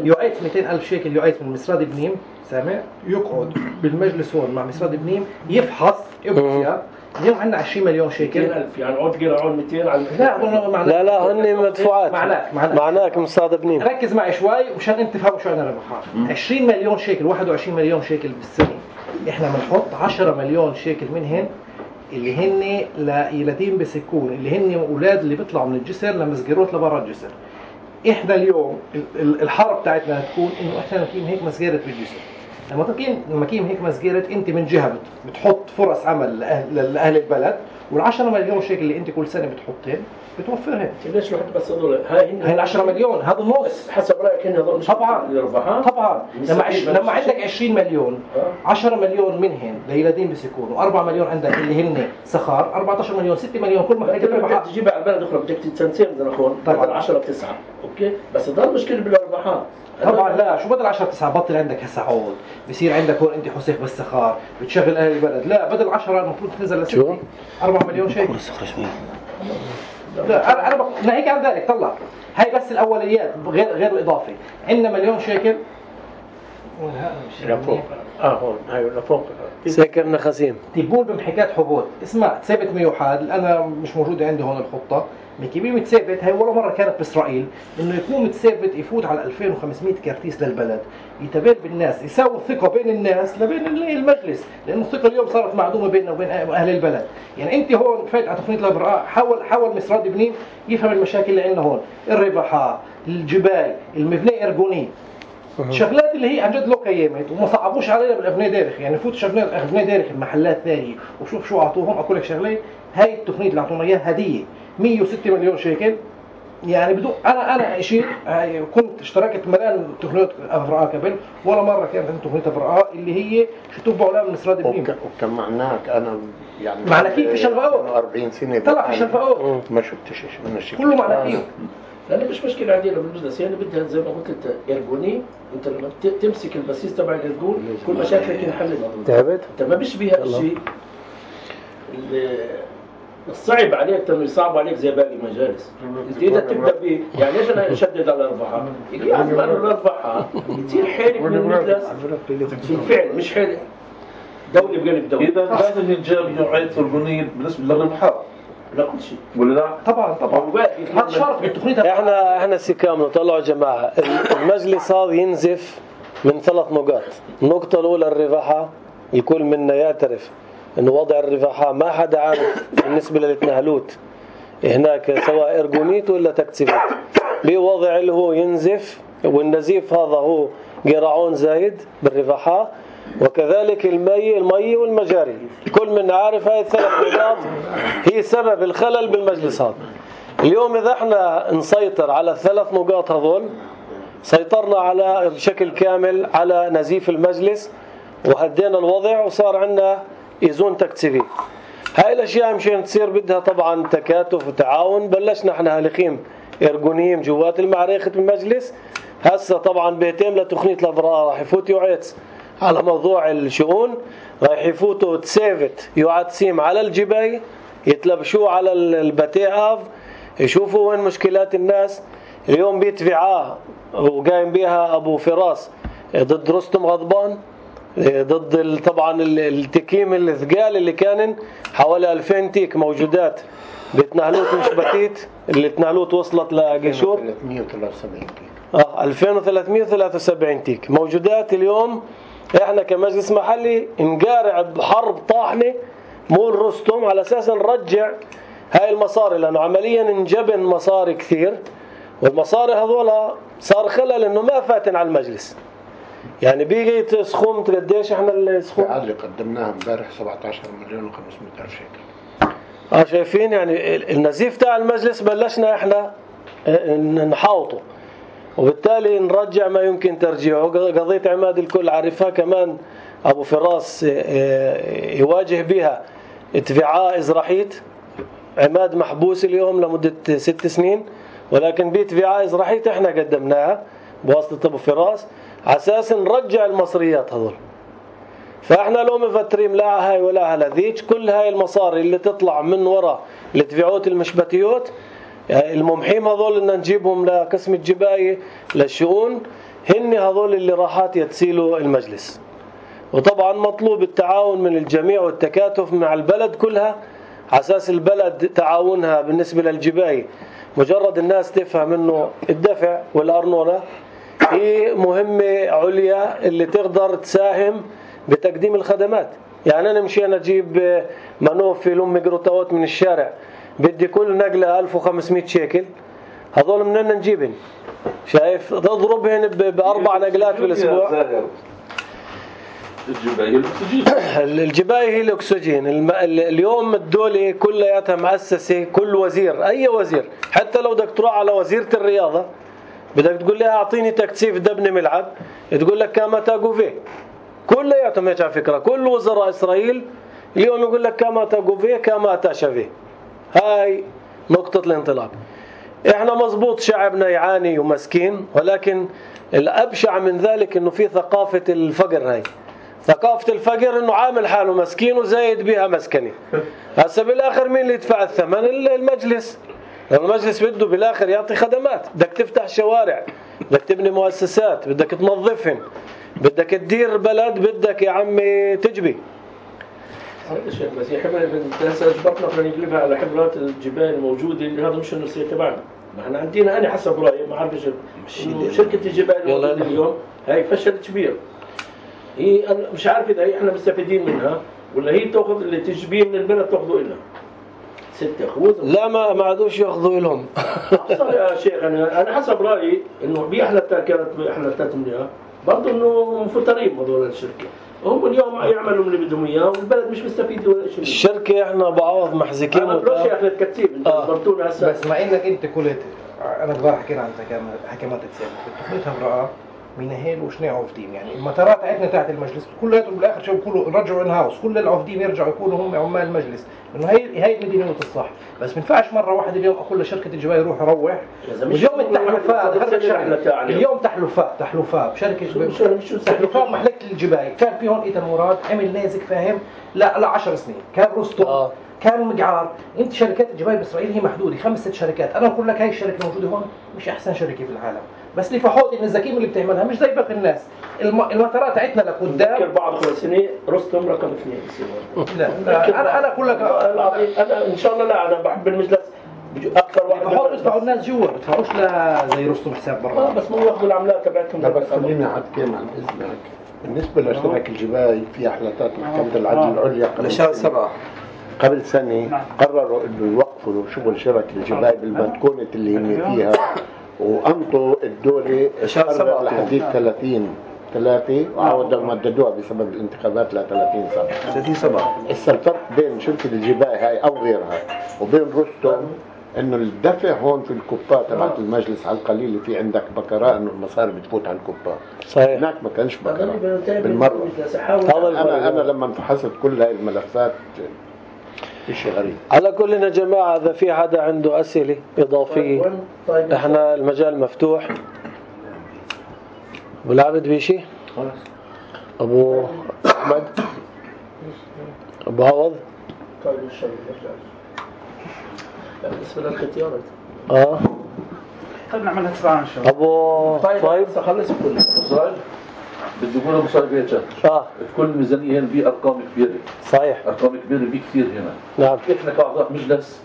يعيط مئتين ألف شيكل يعيط من مصراد بنيم سامع يقعد بالمجلس هون مع مصراد بنيم يفحص ابكي اليوم عندنا عشرين مليون شيكل مئتين ألف يعني عود قرعون مئتين على لا لا لا هن مدفوعات معناك معناك معناك مصراد بنيم ركز معي شوي مشان انت تفهموا شو عندنا ربحات عشرين مليون شيكل واحد وعشرين مليون شيكل بالسنه احنا بنحط عشرة مليون شيكل منهن اللي هن ليتيم بسكون اللي هن اولاد اللي بيطلعوا من الجسر لمسجروت لبرا الجسر. احنا اليوم الحرب بتاعتنا تكون انه احنا نقيم هيك مسجره بالجسر لما تقيم لما تقيم هيك مسجلة، انت من جهه بت- بتحط فرص عمل لأهل, لاهل البلد، والعشرة مليون شيكل اللي انت كل سنه بتحطين بتوفرها. ليش الواحد بس هذول هاي هي العشرة مليون هذا النص حسب رايك هن هذول مش طبعا الربحان؟ طبعا لما عش... لما عندك عشرين مليون، عشرة مليون منهن ليلادين بسكون، وأربعة مليون عندك اللي هن سخار، أربعة عشر مليون، ستة مليون، كل ما انت لما بدك تجيبها على البلد اخرى بدك تنسين بدنا نكون طبعا عشرة تسعة، اوكي، بس ضل مشكله بالربحان. طبعا لا، شو بدل عشرة تسعة بطل عندك هسه عود، بصير عندك هون انت حسيخ بالسخار بتشغل اهل البلد، لا بدل عشرة المفروض تنزل لستة، أربعة مليون شيء. لا انا انا بق... ناهيك عن ذلك طلع هاي بس الاوليات غير غير الاضافي. عندنا مليون شيكل لفوق اه هون هاي لفوق سكر نخاسيم تبول بمحكات حبوب، اسمع تثابت ميوحاد، انا مش موجوده عندي هون الخطه، مكيبي متثابت هاي ولا مره كانت باسرائيل انه يكون متثابت يفوت على ألفين وخمسمية كرتيس للبلد، يتبادل بالناس، يساوي ثقه بين الناس لبين المجلس، لانه الثقه اليوم صارت معدومه بيننا وبين اهل البلد. يعني انت هون فايت على تقنيه الابراء، حاول حاول مصر راد بنين يفهم المشاكل اللي عندنا هون، الربحه، الجبال، المبنى ارجوني، الشغلات اللي هي عن جد لو قيمت وما صعبوش علينا بالابناء دارخ، يعني فوت شغلات ابناء دارخ المحلات ثانيه وشوف شو اعطوهم. اقول لك شغله، هاي التقنيه اللي اعطونا اياها هديه مية وستة مليون شيكل، يعني بدون انا انا شيء كنت اشتركت ملان تقنيه ابراء قبل، ولا مره كانت عندي تقنيه ابراء اللي هي شو تبعوا لها من اسراد ابنين. وكان معناك انا يعني معنى كيف في شلفقوت أربعين سنه طلع في شلفقوت ما شفتش شيء من الشيء كله معنى كيف. لأن مش مشكلة عندنا بالبزنس، يعني بدها زي ما قلت انت ارجوني، انت لما ت- تمسك البسيس تبع الارجون كل مشاكلك انحلت. تعبت؟ انت ما بيشبه الشيء اللي الصعب عليك انه يصعب عليك زي باقي المجالس. انت اذا تبدا ب يعني ليش انا اشدد على الاربعه؟ يجي عزم على الاربعه يصير حالك من المجلس في الفعل، مش حالك دولة بقلب دولة. اذا لازم ينجاب نوعيه ارجونيه بالنسبه للربحان لا كل شيء ولا لا؟ طبعا طبعا هذا شرط بالتقنيه. احنا احنا سكامنا طلعوا جماعه، المجلس هذا ينزف من ثلاث نقاط. النقطه الاولى الربحه، الكل منا يعترف انه وضع الربحه ما حدا عارف بالنسبه للتنهلوت هناك سواء ارجونيت ولا تكتيفيت، بوضع اللي هو ينزف، والنزيف هذا هو قرعون زايد بالربحه، وكذلك المي المي والمجاري. كل من عارف هاي الثلاث نقاط هي سبب الخلل بالمجلس هذا. اليوم إذا احنا نسيطر على الثلاث نقاط هذول، سيطرنا على بشكل كامل على نزيف المجلس وهدينا الوضع وصار عندنا إيزون تكتيفي. هاي الأشياء مشان تصير بدها طبعا تكاتف وتعاون. بلشنا احنا هالخيم إرجونيين جوات المعركة بالمجلس، هسه طبعا بيتم لتقنية الأبراء راح يفوت يعيدس على موضوع الشؤون، راح يفوتوا تسافت يعدسيم على الجباي، يتلبشوا على البتي آف، يشوفوا وين مشكلات الناس. اليوم بيتفعاه وقايم بها أبو فراس ضد رستم غضبان، ضد طبعا التكيم الثقال اللي كان حوالي ألفين تيك موجودات بتنهلوت مش بتيت، اللي تنهلوت وصلت لقشور ثلاثمية وثلاثة وسبعين تيك اه ألفين وثلاثمية وثلاثة وسبعين تيك موجودات. اليوم احنا كمجلس محلي نقارع بحرب طاحنه مول رستم على اساس نرجع هاي المصاري، لانه عمليا انجبن مصاري كثير، والمصاري هذول صار خلل انه ما فاتن على المجلس. يعني بيجي سخوم قديش احنا السخوم اللي قدمناها امبارح سبعة عشر مليون وخمسمية ألف شيكل. اه شايفين يعني النزيف تاع المجلس بلشنا احنا نحاوطه، وبالتالي نرجع ما يمكن ترجيعه. قضية عماد الكل عارفها كمان أبو فراس يواجه بها اتفاعاء إزراحيت. عماد محبوس اليوم لمدة ست سنين، ولكن باتفاعاء إزراحيت احنا قدمناها بواسطة أبو فراس على أساس نرجع المصريات هذول. فاحنا لو مفترين لا هاي ولا هلا ذيك، كل هاي المصاري اللي تطلع من وراء الاتفاعات المشبتيوت الممحيم هذول ان نجيبهم لقسم الجباية للشؤون، هن هذول اللي راحات يتسيلوا المجلس. وطبعا مطلوب التعاون من الجميع والتكاتف مع البلد كلها على اساس البلد تعاونها بالنسبة للجباية. مجرد الناس تفهم انه الدفع والأرنونة هي مهمة عليا اللي تقدر تساهم بتقديم الخدمات. يعني انا مشي انا اجيب منوف في لم جروتاوت من الشارع بدي كل نقلة ألف وخمسمية شيكل، هذول منين نجيبن؟ شايف تضربهن بأربع نقلات بالأسبوع. الجباية هي الأكسجين. الجباية هي الأكسجين. الم... اليوم الدولة كلياتها مؤسسة، كل وزير أي وزير حتى لو بدك تروح على وزيرة الرياضة بدك تقول لها أعطيني تكثيف دبني ملعب، تقول لك كاما تاغوفي. كلياتهم هيك على فكرة، كل وزراء إسرائيل اليوم يقول لك كاما تاغوفي كاما تاشافي. هاي نقطة الانطلاق. احنا مزبوط شعبنا يعاني ومسكين، ولكن الأبشع من ذلك انه في ثقافة الفقر. هاي ثقافة الفقر انه عامل حاله مسكين وزايد بها مسكني. هسه بالاخر مين اللي يدفع الثمن؟ المجلس. المجلس بده بالاخر يعطي خدمات، بدك تفتح شوارع، بدك تبني مؤسسات، بدك تنظفهم، بدك تدير بلد، بدك يا عمي تجبي. هذا الشيء بس هي حبر هسه اجبرتنا بدنا نقلبها على حبرات الجبال الموجوده اللي هذا مش النصيحه تبعنا. ما احنا عندنا انا حسب رايي ما عارفش شركه الجبال الموجوده اليوم هاي فشل كبير. هي انا مش عارف اذا هي احنا مستفيدين منها ولا هي تاخذ اللي تجبيه من البلد تاخذه لنا. ستة خوذ لا ما ما عادوش ياخذوا لهم. اصلا يا شيخ انا انا حسب رايي انه باحلى كانت احلى منها برضه انه مفترين هذول الشركه. هم اليوم يعملوا اللي بدهم اياه والبلد مش مستفيد ولا شيء. الشركه احنا بعوض محزكين انا بروح يا اخي الكتيب انت ضبطونا هسه. بس مع انك انت قلت انا كبار حكينا عن حكمات السابقه، قلتها امراه ميناهيل وشني عوفدين، يعني المطارات عندنا تحت المجلس كلياتهم بالاخر شو بيقولوا رجعوا ان هاوس، كل العوفدين يرجعوا يكونوا هم عمال المجلس، لانه هي هي المدينه الصح. بس ما ينفعش مره واحده اليوم اقول لشركه الجبال روح روح. اليوم التحلفات اليوم تحلفات تحلفات بشركه تحلفات محلكه الجبال كان في هون ايتن مراد عمل نازك فاهم لا لا عشر سنين، كان رستم آه. كان مقعار. انت شركات الجبال باسرائيل هي محدوده خمس ست شركات، انا بقول لك هاي الشركه الموجوده هون مش احسن شركه في العالم، بس لفحوط النزاكين اللي بتعملها مش زي باقي الناس. الم... المطارات عندنا لقدام فكر بعد خمس سنين رستم رقم اثنين لا, لا انا انا اقول لك انا ان شاء الله لا انا بحب المجلس اكثر واحد بحط يدفعوا الناس جوا، ما بدفعوش لا زي رستم حساب برا. اه بس مو ياخذوا العملات تبعتهم. لا بس خليني اعدكم عن اذنك. بالنسبه لشركه الجبال في احلالات محكمه العدل العليا قبل لشهر سبعة قبل سنه قرروا انه يوقفوا شغل شركه الجبال بالمدكونه اللي هن فيها، وامضوا الدوله قرر لحديد ثلاثين ثلاثة وعودوا مددوها بسبب الانتخابات ل ثلاثين سنة. ثلاثين سبعة. هسه الفرق بين شركة الجبال هاي أو غيرها وبين رستم إنه الدفع هون في الكوبات تبعت المجلس على القليل اللي في عندك بكراء إنه المصاري بتفوت على الكوبات. صحيح. هناك ما كانش بكراء بالمرة. أنا أنا لما فحصت كل هاي الملفات شيء غريب. على كل يا جماعة إذا في حدا عنده أسئلة إضافية إحنا المجال مفتوح. أبو العبد بيشي؟ أبو أحمد؟ أبو عوض؟ طيب الشغل بالنسبة للختيارات آه طيب نعملها تبعا إن شاء الله. أبو طيب طيب خلص كله صاير بدي اقول ابو صاير هيك آه كل ميزانيه هنا في ارقام كبيره. صحيح. ارقام كبيره بكثير هنا. نعم. احنا كاعضاء مجلس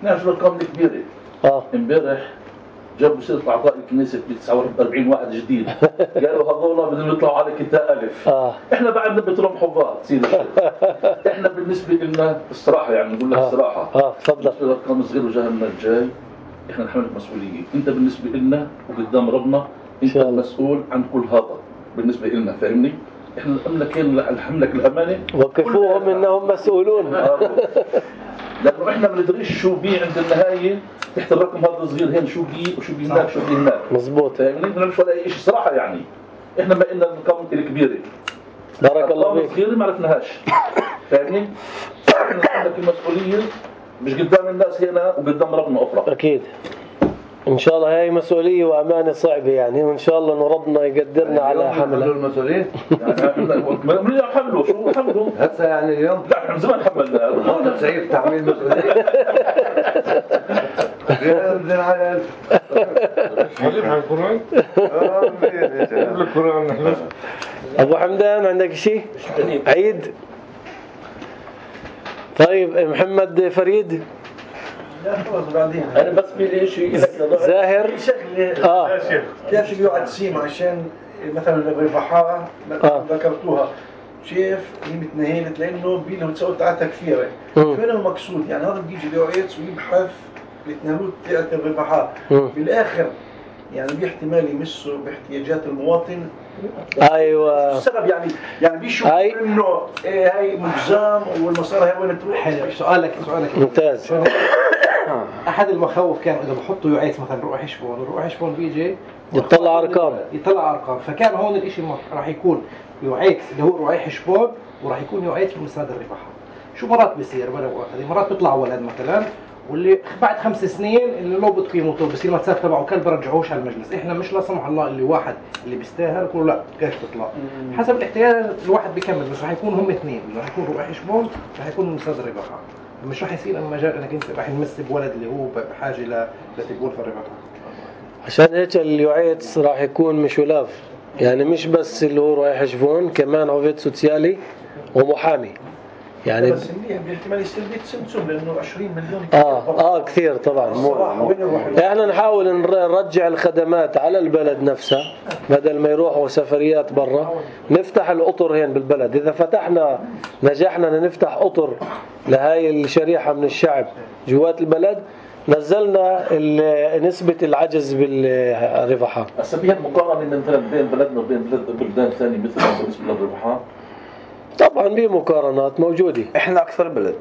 نعرف الارقام الكبيره. اه امبارح جابوا سيره اعضاء الكنيسه ب تسعة وأربعين واحد جديد قالوا هذول بدهم يطلعوا على كتاب الف. اه احنا بعدنا بترم حفاظ تصير احنا بالنسبه لنا الصراحه يعني نقول لك الصراحه اه تفضل. بالنسبه للارقام الصغيره وجهنم الجاي احنا نحمل مسؤوليه. انت بالنسبه لنا وقدام ربنا انت المسؤول عن كل هذا بالنسبه لنا فاهمني. احنا نملك نحملك الامانه وقفوهم انهم مسؤولون. لانه احنا ما ندريش شو بي عند النهايه تحت الرقم هذا الصغير هين شو بي وشو بي هناك شو بي هناك. مظبوط. فاهمني ما نعرفش ولا شيء صراحه يعني. احنا ما لنا الارقام الكبيره. بارك الله فيك. الصغيره ما عرفناهاش. فاهمني؟ احنا نحملك المسؤوليه مش قدام الناس هنا وقدام ربنا اخرى. اكيد. ان شاء الله هاي مسؤوليه وامانه صعبه يعني، وان شاء الله انه ربنا يقدرنا على حملها. المسؤوليه يعني من حمله شو حمله هسه يعني اليوم لا احنا من زمان حملنا هذا سيف تحميل مسؤوليه بدنا على حبيب على القرآن قبل القرآن نحن. ابو حمدان عندك شيء؟ عيد. طيب محمد فريد. لا خلاص بعدين انا بس في شيء زاهر. شغله اه كيف يقعد سيم عشان مثلا الرفحاء آه. ذكرتوها شايف هي متنهيلت لانه بي لو تسوي تعال تكفيره شو المقصود يعني هذا بيجي بيعيط ويبحث بيتنهلوت تاعت الرفحاء بالاخر يعني باحتمال يمسوا باحتياجات المواطن ايوه السبب يعني يعني بيشوفوا هاي- انه إيه هاي مجزام والمصاري هاي وين تروح. حلو. سؤالك سؤالك ممتاز. احد المخاوف كان اذا بحطوا يعيث مثلا روح حشبون روح حشبون بيجي يطلع ارقام. يطلع ارقام، فكان هون الاشي راح يكون يعيث اللي هو رعاي حشبون وراح يكون يعيث في مساد الرباحة. شو مرات بيصير ولا هذه مرات بيطلع ولد مثلا واللي بعد خمس سنين اللي لو بتقيمه بصير متساب تبعه كلب برجعوش على المجلس. احنا مش لا سمح الله اللي واحد اللي بيستاهل يقولوا لا كيف تطلع حسب الاحتيال الواحد بيكمل، بس راح يكون هم اثنين، راح يكون رعاي حشبون راح يكون مساد الرباحة. مش راح يصير المجال انك انت راح نمس بولد اللي هو بحاجه ل لتقول في الرباحة. عشان هيك اليوعيتس راح يكون مش ولاف، يعني مش بس اللي هو رايح يشوفون، كمان عوفيت سوسيالي ومحامي يعني. بس منيح باحتمال يصير بيت سمسم لانه عشرين مليون اه اه كثير طبعا. احنا نحاول نرجع الخدمات على البلد نفسها بدل ما يروحوا سفريات برا. نفتح القطر هين بالبلد. اذا فتحنا نجحنا نفتح قطر لهاي الشريحة من الشعب جوات البلد، نزلنا نسبة العجز بالربحة. هسه بهالمقارنة مثلا بين بلدنا وبين بلد بلدان ثانية مثل بالنسبة للربحة طبعا بمقارنات موجودة. احنا اكثر بلد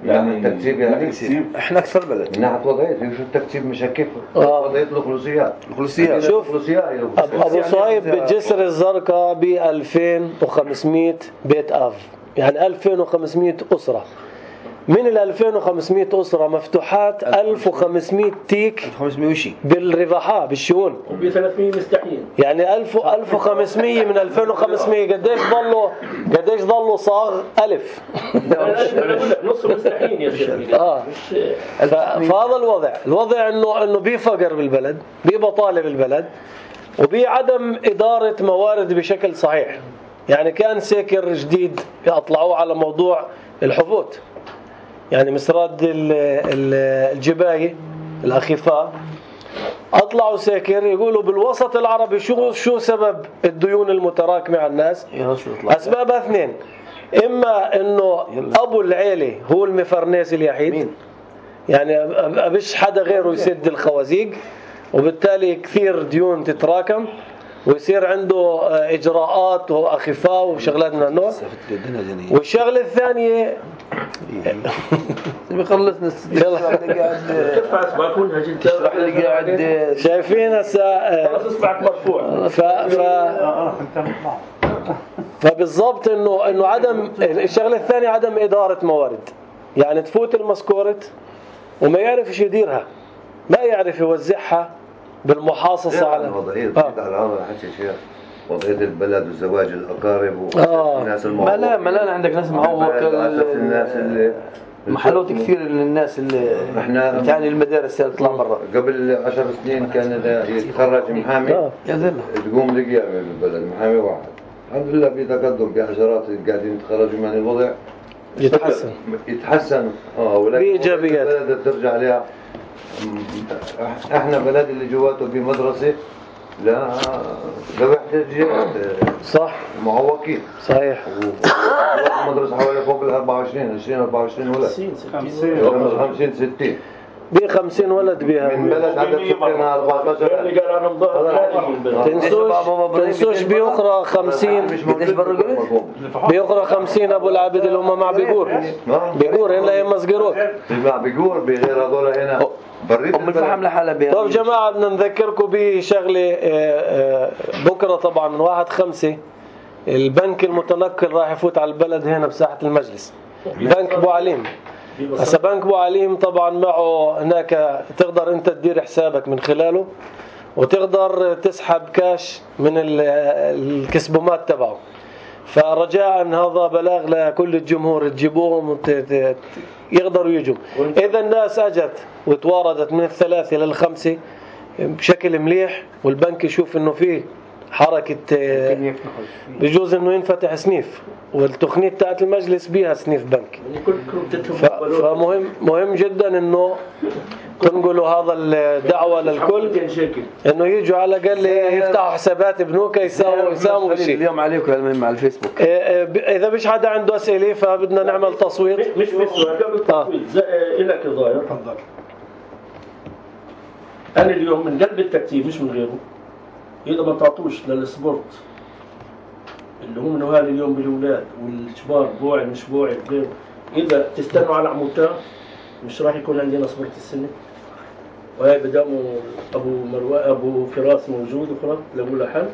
يعني التكتيب يعني التكتيب احنا اكثر بلد من ناحية وضعية. شو التكتيب مش كيف آه. وضعية الخلوصيات الخلوصيات. شوف الخلوصيات أبو صهيب بالجسر الزرقاء ب ألفين وخمسمية بيت آف، يعني ألفين وخمسمية أسرة. من ال ألفين وخمسمية أسرة مفتوحات ألف وخمسمية تيك خمسمية وشي بالرباحة بالشؤون، وب ثلاثمية مستحيل. يعني ألف ألف وخمسمية من ألفين وخمسمية قديش ضلوا قديش ضلوا صاغ ألف. نص مستحيل يا شيخ. آه. فهذا الوضع الوضع إنه إنه بي فقر بالبلد، بي بطالة بالبلد، وبي عدم إدارة موارد بشكل صحيح. يعني كان سيكر جديد أطلعوه على موضوع الحفوت، يعني مسراد الجباية الأخفاء أطلعوا ساكر يقولوا بالوسط العربي شو شو سبب الديون المتراكمة على الناس. أسبابها اثنين، إما إنه أبو العيلة هو المفرناس اليحيد، يعني أبش حدا غيره يسد الخوازيق، وبالتالي كثير ديون تتراكم ويصير عنده إجراءات وأخفاء وشغلات من النوع. والشغلة الثانية بيخلصنا يلا كيف أصبح كلها جدا اشرح لي قاعد شايفين هسه خلاص اصبعك مرفوع. ف ف فبالضبط انه انه عدم الشغله الثانيه عدم اداره موارد، يعني تفوت المسكورة وما يعرف ايش يديرها، ما يعرف يوزعها بالمحاصصه على وضعيه آه. على هذا حكي شيء وضعيه البلد وزواج الاقارب آه. والناس ما المعوقين. لا ما لا عندك ناس معوقة الناس اللي محلوت كثير من الناس اللي احنا تعني المدارس اللي تطلع برا. قبل عشر سنين كان إذا يتخرج محامي آه. يا زلمة تقوم لقيامة بالبلد محامي واحد. الحمد لله في تقدم بحشرات قاعدين يتخرجوا من الوضع يتحسن يتحسن اه ولكن بإيجابيات. البلد ترجع عليها. احنا بلد اللي جواته بمدرسة لا لوحدة صح معوقين صحيح. مدرسة حوالي فوق ال أربعة وعشرين عشرين أربعة وعشرين ولد خمسين ستين ب خمسين ولد بها من بلد عدد سكانها أربعة عشر. اللي قال انا مضاهر تنسوش تنسوش بأخرى خمسين بأخرى خمسين أبو العابد اللي هم مع بيقور بيقور هنا يا مسجروت مع بيقور بغير هذول هنا بريت أم الفحم لحالها بيها. طب جماعة بدنا نذكركم بشغلة بكرة طبعا من واحد خمسة البنك المتنقل راح يفوت على البلد هنا بساحة المجلس، بنك أبو عليم. هسا بنك أبو عليم طبعا معه هناك تقدر أنت تدير حسابك من خلاله وتقدر تسحب كاش من الكسبومات تبعه. فرجاء هذا بلاغ لكل الجمهور تجيبوهم يقدروا يجوا. إذا الناس أجت وتواردت من الثلاثة للخمسة بشكل مليح والبنك يشوف إنه فيه حركة بجوز إنه ينفتح سنيف والتقنية تاعت المجلس بيها سنيف بنك. فمهم مهم جدا إنه تنقلوا هذا الدعوة للكل إنه يجوا على الأقل يفتحوا حسابات بنوك يساووا يساووا شيء. اليوم عليكم مع الفيسبوك. إذا مش حدا عنده أسئلة فبدنا نعمل تصويت. مش بس قبل التصويت إلك ظاهر. تفضل. أنا اليوم من قلب التكتيف مش من غيره إذا ما تعطوش للسبورت اللي هم نوال اليوم بالأولاد والشباب بوعي مش بوعي غير، إذا تستنوا على عموتان مش راح يكون عندنا سبورت السنة. وهي بداموا أبو مروان أبو فراس موجود وخلاص لقوا له حل.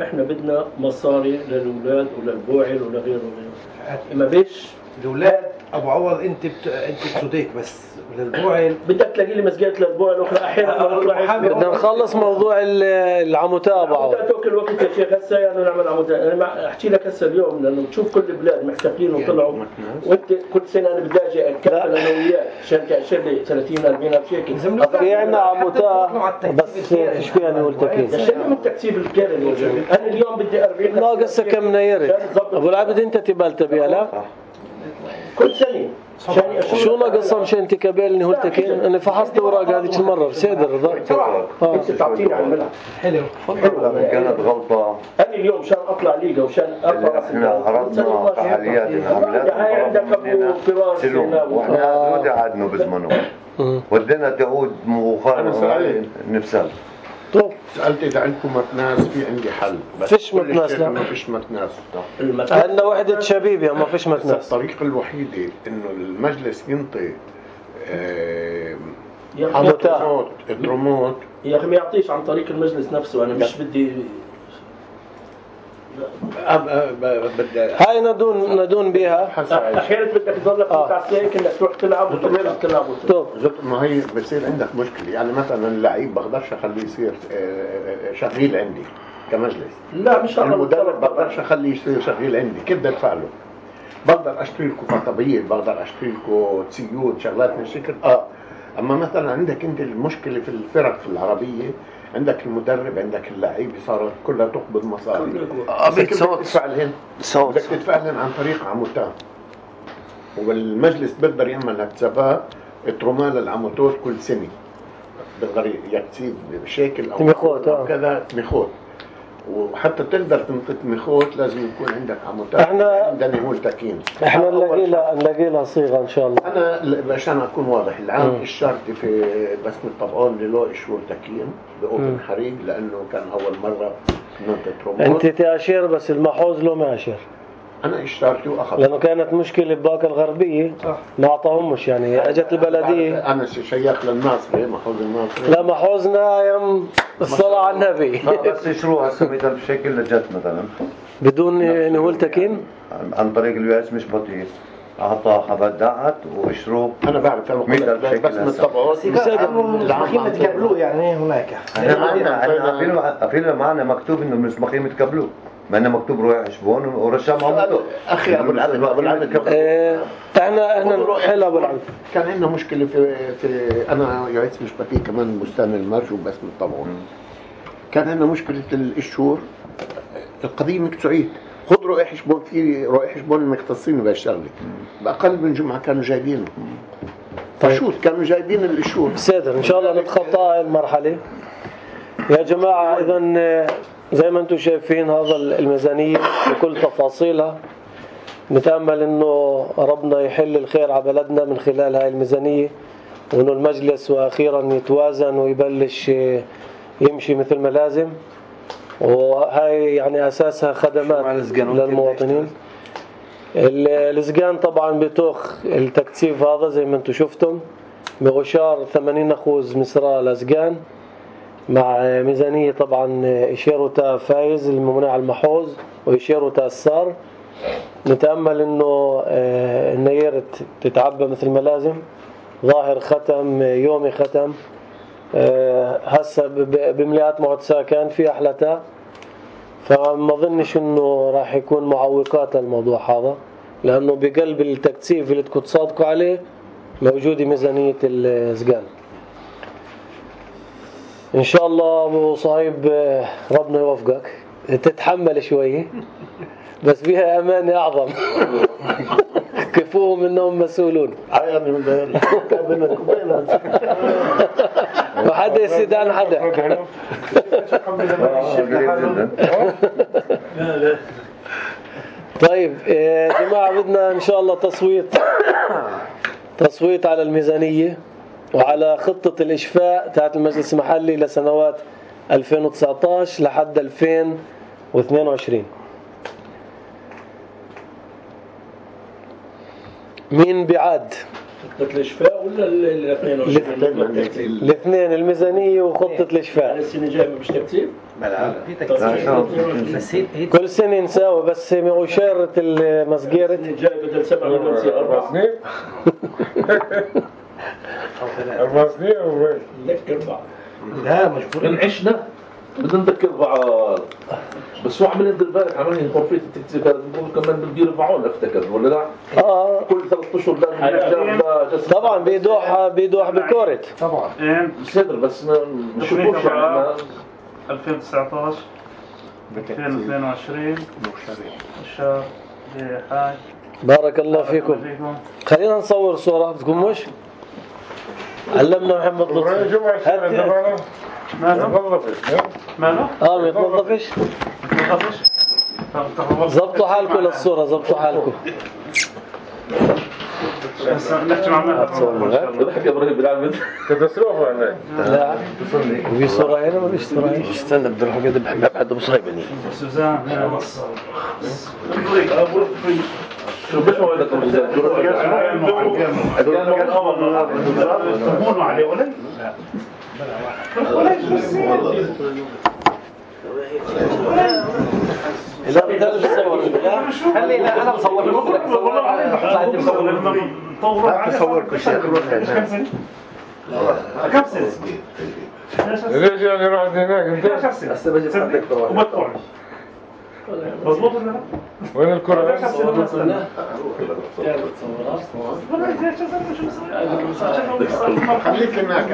إحنا بدنا مصاري للأولاد وللبوعل ولغيره وغيره. إما بيش الأولاد أبو عوض أنت بت... أنت بتسوديك بس للبوعل بدك تلاقي لي مسجات للبوعل الأخرى أحيانا. بدنا نخلص موضوع العموتة أبو عوض. عموتة توكل الوقت يا شيخ هسه يعني نعمل عموتة. أنا أحكي لك هسه اليوم لأنه تشوف كل البلاد محتفلين وطلعوا وأنت كل سنة أنا بدي أجي أتكفل أنا وياك عشان تأشر لي ثلاثين أربعين ألف شيكل. في عنا عموتة بس فيش فيها نقول تكييف. عشان من التكسيب الكامل أنا اليوم بدي أربعين. ناقص كم نيرت. أبو العبد أنت تبال تبيها لا؟ كل سنة. شو ناقصها مشان تكبل نقول تكين؟ أنا فحصت أوراق هذيك المرة بصدر رضا. أنت تعطيني على الملعب. حلو. كانت غلطة. أنا اليوم مشان أطلع ليجا وشان أطلع. إحنا خرجنا فعاليات العملات. هاي عندك أبو فراس. وإحنا نودي عادنا بزمنه. ودينا تعود مخالفة نفسها. طب سألت إذا عندكم متناس في عندي حل بس فيش متناس لا ما فيش متناس. عندنا وحدة شبيب يا ما فيش متناس. الطريقة الوحيدة إنه المجلس ينطي آه عموتات الدروموت يا أخي ما يعطيش عن طريق المجلس نفسه. أنا مش بدي هاي ندون ندون بيها. أحيانا بدك تضلك متعسيك إنك تروح تلعب وتروح تلعب طب ما هي بصير عندك مشكلة. يعني مثلا اللعيب بقدرش أخليه يصير شغيل عندي كمجلس. لا مش هذا المدرب بقدرش أخليه يصير شغيل عندي. كيف بدي أدفع له؟ بقدر أشتري لكم خطابية، بقدر أشتري لكم تسيود شغلات من الشكل. آه أما مثلا عندك أنت المشكلة في الفرق في العربية، عندك المدرب عندك اللعيب صارت كلها تقبض مصاري. بدك تدفع لهم بدك تدفع لهم عن طريق عموتات. والمجلس بيقدر يعمل حسابات تروما للعموتات كل سنة. بيقدر يكتب بشكل أو كذا تمخوت. وحتى تقدر تنطي تمخوت لازم يكون عندك عموتات. احنا عندنا هو التكين. احنا نلاقي لها نلاقي لها صيغة إن شاء الله. أنا عشان أكون واضح العام الشرطي في بسم الطبعون له إشور تكين بأوبن حريق لأنه كان أول مرة ننطي ترومون. أنت تأشير بس المحوز له ما أشير. أنا اشتريته وأخذ. لأنه كانت مشكلة بباقة الغربية ما أعطاهمش يعني أجت البلدية. أنا شيخ للناصري محوز الناصري. لا محوزنا يوم الصلاة على النبي. بس يشروها هسه مثلا بشكل جت مثلا. بدون نقول تكين؟ عن طريق اليو اس مش بطيء. أعطى خبر دعت وإشروه. أنا بعرف أنا بقول بس من الطبعون. المسمخين تقبلوه يعني هناك. احنا عارفين معنا مكتوب إنه المسمخين تقبلوه. ما أنا مكتوب روح حشبون ورشام عموته. أخي أبو العبد أبو العبد اه احنا احنا حلو أبو العبد. كان عندنا مشكلة في في أنا يعيش مش بطيء كمان بستان المرج وبس من الطبعون. كان عندنا مشكلة الشهور القضية مكتوعية. خذ رائح حشبون في رائح حشبون المختصين بهالشغلة. بأقل من جمعة كانوا جايبينه. فشوت كانوا جايبين الشهور. سيدر إن شاء الله نتخطى هاي المرحلة. يا جماعة إذا زي ما أنتم شايفين هذا الميزانية بكل تفاصيلها. نتأمل إنه ربنا يحل الخير على بلدنا من خلال هاي الميزانية وإنه المجلس وأخيرا يتوازن ويبلش يمشي مثل ما لازم. وهاي يعني أساسها خدمات للمواطنين. الزقان طبعا بتوخ التكثيف هذا زي ما أنتم شفتم بغشار ثمانين أخوذ مصراء لزقان مع ميزانية طبعا إشيروتا فايز الممنوع على المحوز وإشيروتا السار. نتأمل إنه النيرة تتعبى مثل ما لازم. ظاهر ختم يومي ختم هسه بمليات معد ساكن في أحلتا. فما ظنش إنه راح يكون معوقات للموضوع هذا لأنه بقلب التكثيف اللي تكون تصادقوا عليه موجودة ميزانية الزقان. إن شاء الله أبو صهيب ربنا يوفقك تتحمل شوية بس بها أمانة أعظم. كفوهم إنهم مسؤولون. وحدا يسيد عن حدا. طيب يا جماعة بدنا إن شاء الله تصويت تصويت على الميزانية وعلى خطة الإشفاء تاعت المجلس المحلي لسنوات ألفين وتسعطعش لحد ألفين واثنين وعشرين. مين بيعاد؟ خطة الإشفاء ولا ال اثنين وعشرين؟ الاثنين، الميزانية وخطة الإشفاء. السنة الجاية مش تكتيب؟ في تكتيب كل سنة نساوي بس وشارة المسجيرة. السنة الجاية بدل سبعة مليون يصير أربعة سنين أربع سنين وين؟ لك أربعة. لا مجبور. إن عشنا بدنا نذكر بعض. بس هو عملين دير بالك عملين غرفة التكتيك هذا بيقولوا كمان بده يرفعون افتكر ولا لا؟ اه كل ثلاث اشهر لازم طبعا بيدوح بيدوح بكورة طبعا. مش قادر بس ما بشوفوش يعني ألفين وتسعطعش ألفين واثنين وعشرين الشهر هاي. بارك الله فيكم. خلينا نصور صورة بدكم مش؟ علمنا محمد لطفي. جمعة ما نظفش ما اه ما يتنظفش. ظبطوا حالكم للصورة، ظبطوا حالكم. نحكي مع بدك تحكي ابراهيم بالعمد كاتاستروفة هناك. لا في صورة هنا ما فيش صورة هنا. استنى بدي اروح قد بحب بعد مصايبني. سوزان شو بس هو هذا هون عليه ولا؟ لا لا بتصور. خلي لا انا بصور لك. تصور كل شيء. كم سنة؟ ليش يعني رحت هناك انت؟ هسه بجي صدق ومدفوع. مضبوط ولا لا؟ وين الكرة؟ خليك هناك.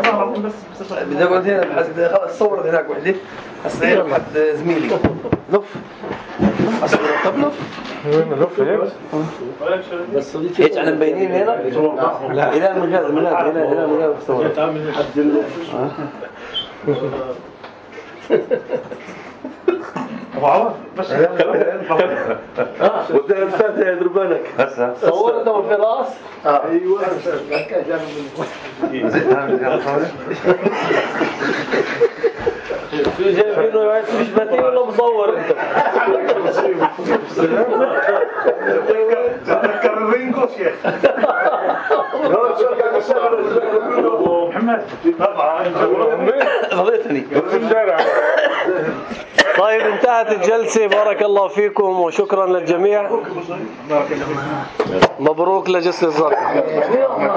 بدي اقعد هنا بحس خلص صورت هناك وحده. هسه هنا لحد زميلي لف اصور. طب لف وين لف هيك؟ بس هيك احنا مبينين هنا. لا الى المجال من هنا هنا هنا المجال بصور. تعمل حد ابو عوض بس ودنا الفاتحة يا دربانك هسه صورت ابو فراس. ايوه. شو جايبينه مش باتين ولا مصور انت؟ تذكر الرينجو شيخ. ابو محمد طبعا رضيتني. طيب انتهت الجلسة. بارك الله فيكم وشكرا للجميع. مبروك لجسر الزرقاء.